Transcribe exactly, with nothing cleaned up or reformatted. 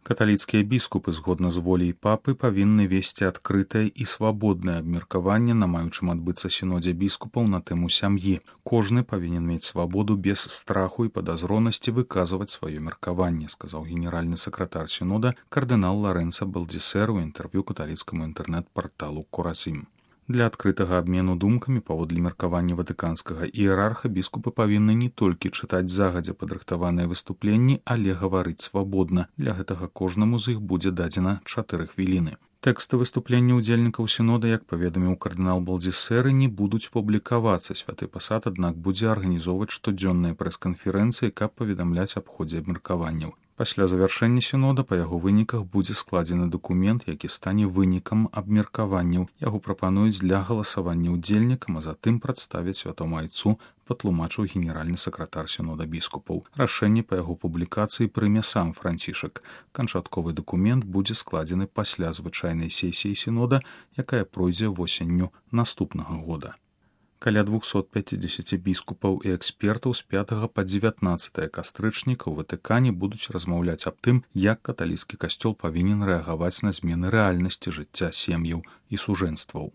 Каталіцкія біскупы, згодна з воляй папы, павінны весці адкрытае і свабоднае абмеркаванне на маючым адбыцца сінодзе біскупаў на тэму сям'і. Кожны павінен мець свабоду без страху і падазронасці выказваць сваё меркаванне, сказаў генеральны сакратар сінода кардынал Лоренцо Балдзісер у інтэрв'ю каталіцкаму інтэрнэт-парталу Коразім. Для адкрытага абмену думкамі паводле меркавання ватыканскага іерарха біскупы павінны не толькі чытаць загадзя падрыхтаваныя выступленні, але гаварыць свабодна. Для гэтага кожнаму з іх будзе дадзена чатыры хвіліны. Тэксты выступлення ўдзельнікаў сінода, як паведаміў кардынал Балдзісер, не будуць публікавацца. Святы пасад, аднак, будзе арганізоўваць штодзённыя прэс-канферэнцыі, каб паведамляць аб ходзе абмеркаванняў. Пасля завяршэння сінода па яго выніках будзе складзены дакумент, які стане вынікам абмеркаванняў. Яго прапануюць для галасавання ўдзельнікам, а затым прадставяць святому айцу, патлумачыў генеральны сакратар сінода біскупаў. Рашэнне па яго публікацыі прыме сам Францішак. Канчатковы дакумент будзе складзены пасля звычайнай сесіі сінода, якая пройдзе восенню наступнага года. Каля двухсот пяцідзесяці біскупаў і экспертаў з пятага па дзевятнаццатае кастрычніка ў Ватыкане будуць размаўляць аб тым, як каталіцкі касцёл павінен рэагаваць на змены рэальнасці жыцця сем'яў і сужэнстваў.